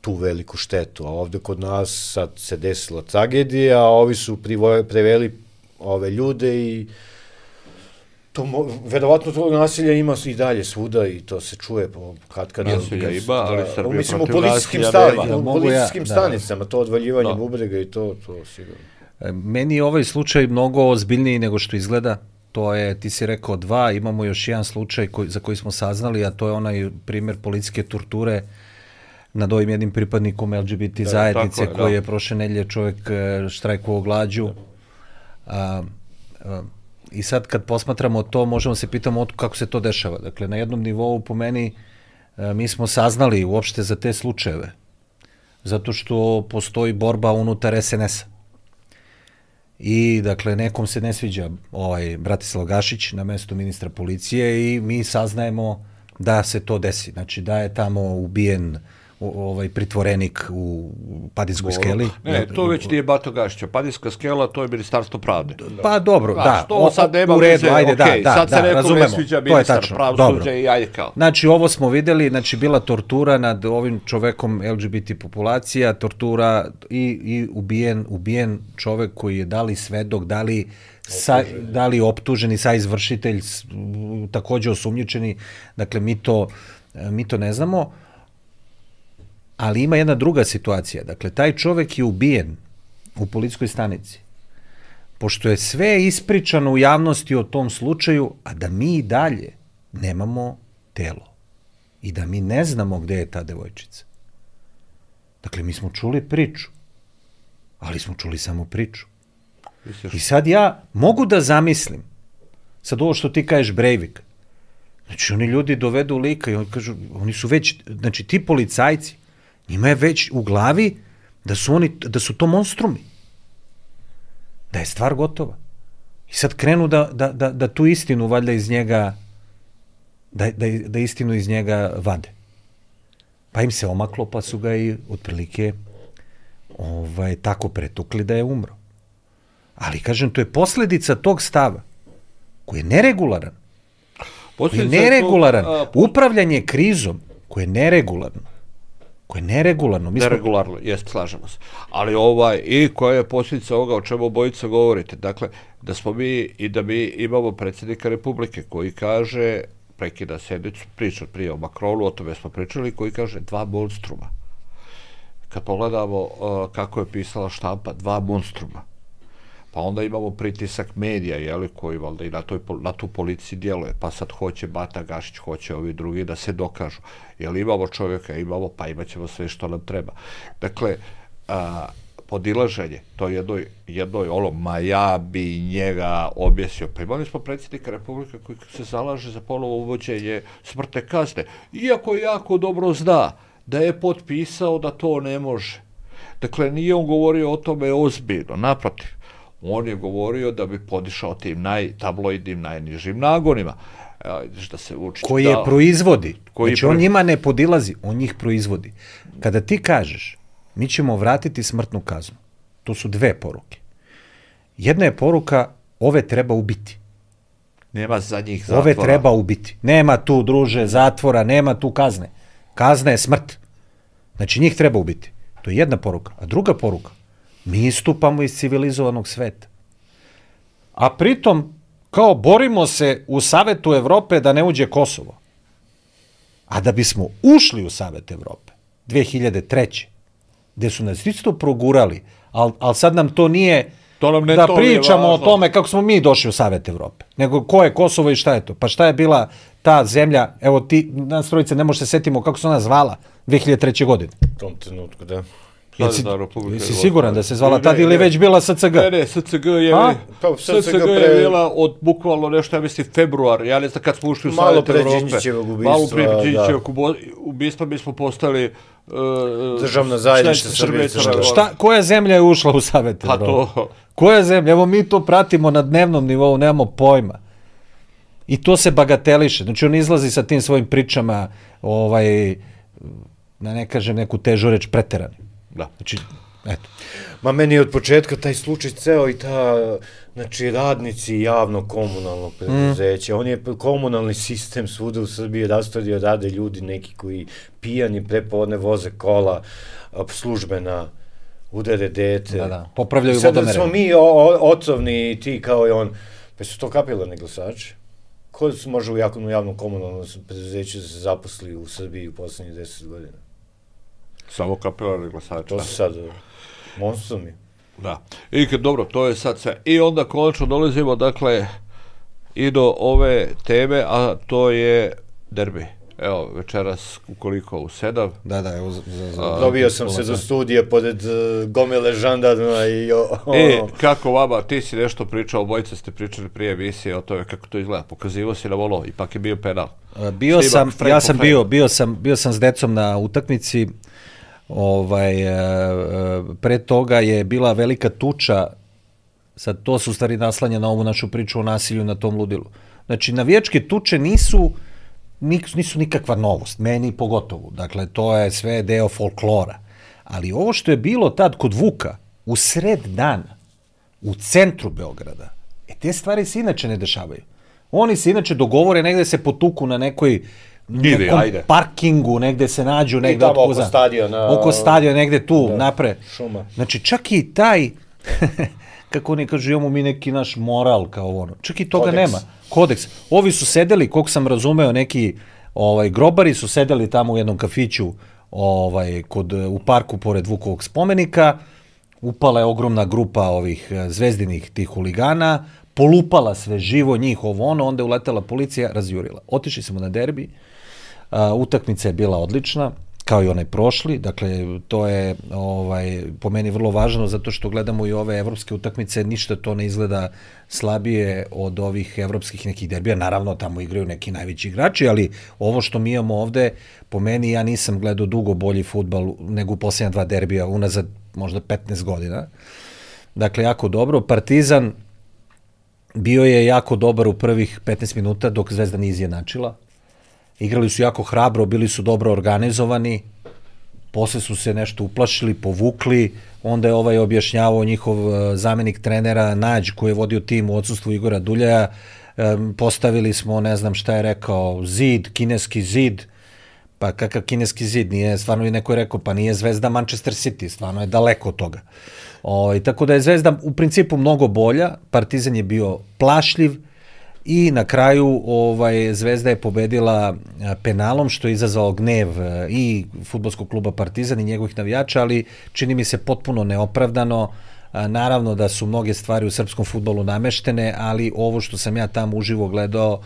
tu veliku štetu. A ovde kod nas sad se desila tragedija, a ovi su preveli ove ljude i verovatno tog nasilja ima i dalje svuda i to se čuje kad nasilja ima, ali Srbija mislim u policijskim stanicama, to odvaljivanje bubrega i to sigurno. Meni je ovaj slučaj mnogo ozbiljniji nego što izgleda. To je, ti si rekao 2, imamo još jedan slučaj za koji smo saznali, a to je onaj primjer policijske torture nad ovim jednim pripadnikom LGBT zajednice koji je prošle nedelje čovjek štrajkovao glađu. I sad kad posmatramo to, možemo se pitamo kako se to dešava. Dakle, na jednom nivou po meni mi smo saznali uopšte za te slučajeve, zato što postoji borba unutar SNS-a. I, dakle, nekom se ne sviđa Bratislav Gašić na mestu ministra policije i mi saznajemo da se to desi. Znači, da je tamo ubijen pritvorenik u Padinskoj skeli. Ne, to već nije Bato Gašića. Padinska skela, to je Ministarstvo pravde. Pa dobro, da. To sad nema veze, okej, sad se nekom ne sviđa ministar pravosuđa i ajde kao. Znači, ovo smo videli, znači, bila tortura nad ovim čovekom LGBT populacija, tortura i ubijen čovek koji je da li svedok, da li optuženi, sa izvršitelj, takođe osumnjičeni. Dakle, mi to ne znamo. Ali ima jedna druga situacija. Dakle, taj čovek je ubijen u policijskoj stanici. Pošto je sve ispričano u javnosti o tom slučaju, a da mi i dalje nemamo telo. I da mi ne znamo gde je ta devojčica. Dakle, mi smo čuli priču. Ali smo čuli samo priču. I sad ja mogu da zamislim, sad ovo što ti kažeš Breivik, znači oni ljudi dovedu lika i oni kažu, oni su već, znači ti policajci, njima je već u glavi da su to monstrumi. Da je stvar gotova. I sad krenu da tu istinu valjda iz njega, da istinu iz njega vade. Pa im se omaklo, pa su ga i otprilike tako pretukli da je umro. Ali, kažem, to je posljedica tog stava, koji je neregularan. Upravljanje krizom, koje je neregularno. Neregularno, jest, slažemo se. Ali i koja je posljedica ovoga o čemu obojica govorite? Dakle, da smo mi imamo predsjednika Republike koji kaže, prekida sjednicu, priča prije o Macronu, o tome smo pričali, koji kaže 2 monstruma. Kad pogledamo kako je pisala štampa, 2 monstruma. Pa onda imamo pritisak medija, koji valjda i na tu policiji djeluje, pa sad hoće Bata Gašić, hoće ovi drugi da se dokažu. Imamo čovjeka, pa imat ćemo sve što nam treba. Dakle, podilaženje, to jednoj ma ja bi njega objesio. Pa imali smo predsjednika Republike koji se zalaže za ponovo uvođenje smrtne kazne, iako jako dobro zna da je potpisao da to ne može. Dakle, nije on govorio o tome ozbiljno, naprotiv. On je govorio da bi podišao tim tabloidnim najnižim nagonima. Da se uči, koji je proizvodi. Znači, on njima ne podilazi, on njih proizvodi. Kada ti kažeš, mi ćemo vratiti smrtnu kaznu, to su 2 poruke. Jedna je poruka, ove treba ubiti. Nema za njih zatvora. Ove treba ubiti. Nema tu, druže, zatvora, nema tu kazne. Kazna je smrt. Znači, njih treba ubiti. To je jedna poruka. A druga poruka, mi istupamo iz civilizovanog sveta. A pritom, kao borimo se u Savetu Evrope da ne uđe Kosovo. A da bismo ušli u Savet Evrope 2003. gde su nas isto progurali, ali sad nam to nije da pričamo o tome kako smo mi došli u Savet Evrope, nego ko je Kosovo i šta je to. Pa šta je bila ta zemlja, evo ti, nas trojice, ne može se setimo kako se ona zvala 2003. godine. U tom trenutku, da. Jesi siguran da se zvala tad ili već bila SCG? Ne, SCG je bila od bukvalno nešto, ja mislim, februar, ja ne znam kad smo ušli u Savjet Evrope. Malo prije Đinđićevog ubistva mi smo postali državna zajednica Srbije. Koja zemlja je ušla u Savjet Evrope? Koja zemlja? Evo mi to pratimo na dnevnom nivou, nemamo pojma. I to se bagateliše. Znači on izlazi sa tim svojim pričama, da ne kažem neku težu reč, preterani. Da. Znači, eto. Ma meni je od početka taj slučaj ceo i znači radnici javnog komunalnog preduzeća, on je komunalni sistem svuda u Srbiji rastavio, rade ljudi neki koji pijani prepodne voze kola, službena, udare dete. Da, popravljaju vodomere. Sad smo mi otrovni i ti kao i on, pa su to kapilarni glasači? Ko može u javnom komunalnom preduzeću da se zaposli u Srbiji u poslednjih 10 godina? Samo kapilarni glasači. To su sad monstrumi. Da. I dobro, to je sad sve. I onda konačno dolazimo, dakle, i do ove teme, a to je derbi. Evo, večeras, ukoliko u 7. Da, evo. Dobio sam se do studija pored gomile žandarma i kako vama, ti si nešto pričao, obojica ste pričali prije emisije o tome kako to izgleda. Pokazivo si na volo, ipak je bio penal. Bio sam s decom na utakmici. Pre toga je bila velika tuča, sad to se u stvari naslanja na ovu našu priču o nasilju na tom ludilu. Znači, navijačke tuče nisu nikakva novost, meni pogotovo. Dakle, to je sve deo folklora. Ali ovo što je bilo tad kod Vuka, u sred dana, u centru Beograda, te stvari se inače ne dešavaju. Oni se inače dogovore negde se potuku na nekom parkingu, negde se nađu, negde tamo oko stadiona, negde tu, napre. Znači, čak i taj, kako oni kažu, imamo mi neki naš moral kao ono, čak i toga nema. Kodeks. Ovi su sedeli, koliko sam razumeo, neki grobari su sedeli tamo u jednom kafiću u parku pored Vukovog spomenika, upala je ogromna grupa ovih zvezdinih tih huligana, polupala sve živo, njih onda je uletela policija, razjurila. Otišli smo na derbi, utakmica je bila odlična, kao i onaj prošli, dakle, to je po meni vrlo važno, zato što gledamo i ove evropske utakmice, ništa to ne izgleda slabije od ovih evropskih nekih derbija, naravno tamo igraju neki najveći igrači, ali ovo što mi imamo ovde, po meni, ja nisam gledao dugo bolji fudbal nego u posljednja 2 derbija, unazad možda 15 godina. Dakle, jako dobro. Partizan bio je jako dobar u prvih 15 minuta dok Zvezda nije izjednačila. Igrali su jako hrabro, bili su dobro organizovani, posle su se nešto uplašili, povukli, onda je ovaj objašnjavao njihov zamenik trenera Nađ koji je vodio tim u odsustvu Igora Duljaja, postavili smo, ne znam šta je rekao, zid, kineski zid, pa kakav kineski zid, nije, stvarno je neko je rekao, pa nije Zvezda Manchester City, stvarno je daleko od toga. Tako da je Zvezda u principu mnogo bolja, Partizan je bio plašljiv i na kraju Zvezda je pobedila penalom, što je izazvalo gnev i fudbalskog kluba Partizan i njegovih navijača, ali čini mi se potpuno neopravdano. Naravno da su mnoge stvari u srpskom fudbalu nameštene, ali ovo što sam ja tamo uživo gledao,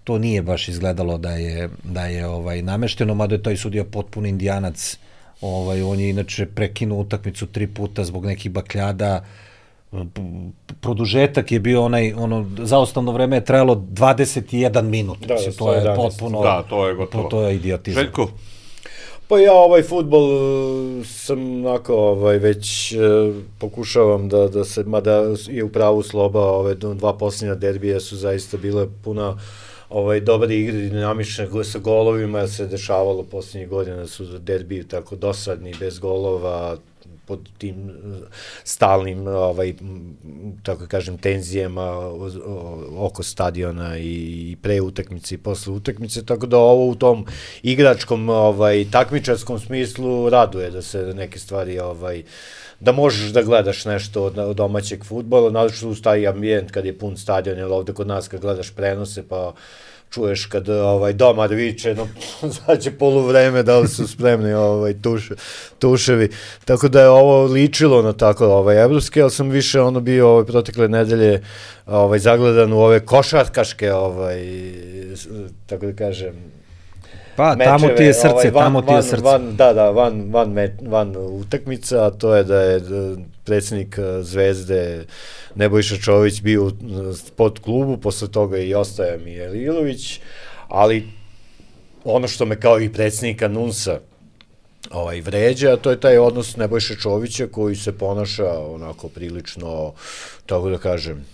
to nije baš izgledalo da je namešteno, mada je taj sudija potpuno indijanac. On je inače prekinuo utakmicu 3 puta zbog nekih bakljada. Produžetak je bio zaostavno vreme je trajalo 21 minut. To je potpuno, to je gotovo. To je idiotizam. Željko? Pa ja fudbal sam onako već pokušavam da se, mada je u pravu Sloba, 2 posljednja derbija su zaista bile puna dobre igre, dinamične sa golovima, se dešavalo posljednjih godina su derbiji tako dosadni, bez golova, pod tim stalnim, tako kažem, tenzijama oko stadiona i pre utakmice i posle utakmice, tako da ovo u tom igračkom, takmičarskom smislu raduje da se neke stvari, da možeš da gledaš nešto od domaćeg fudbala, naravno uz taj ambijent kad je pun stadion, jer ovde kod nas kad gledaš prenose, pa čuješ kad domar viče, sad će poluvreme, da li su spremni tuševi. Tako da je ovo ličilo na tako evropske, ali sam više bio protekle nedelje zagledan u ove košarkaške, tako da kažem, pa tamo ti je srce, tamo ti je srce. Van utakmica, a to je da je predsjednik Zvezde Nebojša Čović bio u sport klubu, posle toga i ostaje Mijel Ilović, ali ono što me kao i predsjednika NUNS-a vređa, to je taj odnos Nebojša Čovića koji se ponaša onako prilično, tako da kažem,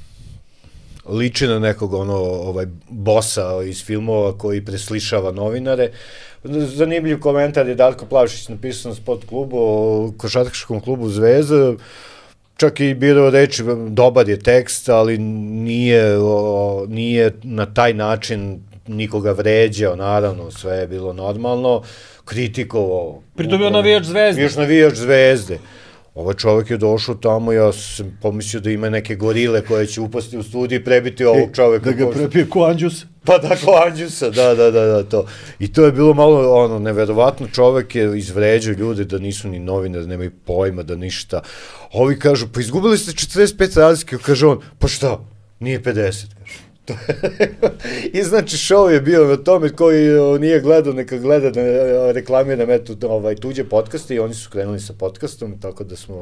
liči na nekog bosa iz filmova koji preslišava novinare. Zanimljiv komentar je Darko Plavšić napisao na sport klubu, o košarkaškom klubu Zvezda, čak i birao reči, dobar je tekst, ali nije na taj način nikoga vređao, naravno, sve je bilo normalno, kritikovao. Pritom je navijač Zvezde. Još navijač Zvezde. Ovaj čovjek je došao tamo, ja sam pomislio da ima neke gorile koje će upasti u studiju i prebiti ovog čovjeka. Da ga prebije ko Anđus? Pa da, ko Anđusa, da, to. I to je bilo malo, neverovatno, čovjek je izvređao ljude da nisu ni novinari, nemaju pojma, da ništa. Ovi kažu, pa izgubili ste 45 razlike, kaže on, pa šta, nije 50, kaže. I znači show je bio na tome, koji nije gledao, neka gleda, reklamiram tuđe podcaste i oni su krenuli sa podcastom, tako da smo,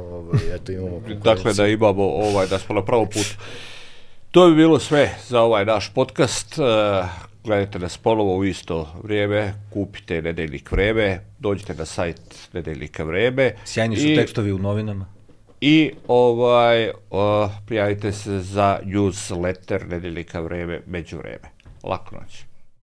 imamo konkurenciju. Dakle, da imamo, da smo na pravom putu. To bi bilo sve za ovaj naš podcast. Gledajte nas ponovo u isto vrijeme, kupite Nedeljnik Vreme, dođite na sajt Nedeljnika Vreme. Sjajni su tekstovi u novinama. I prijavite se za newsletter Nedeljnika Vreme, Međuvreme. Laku noć.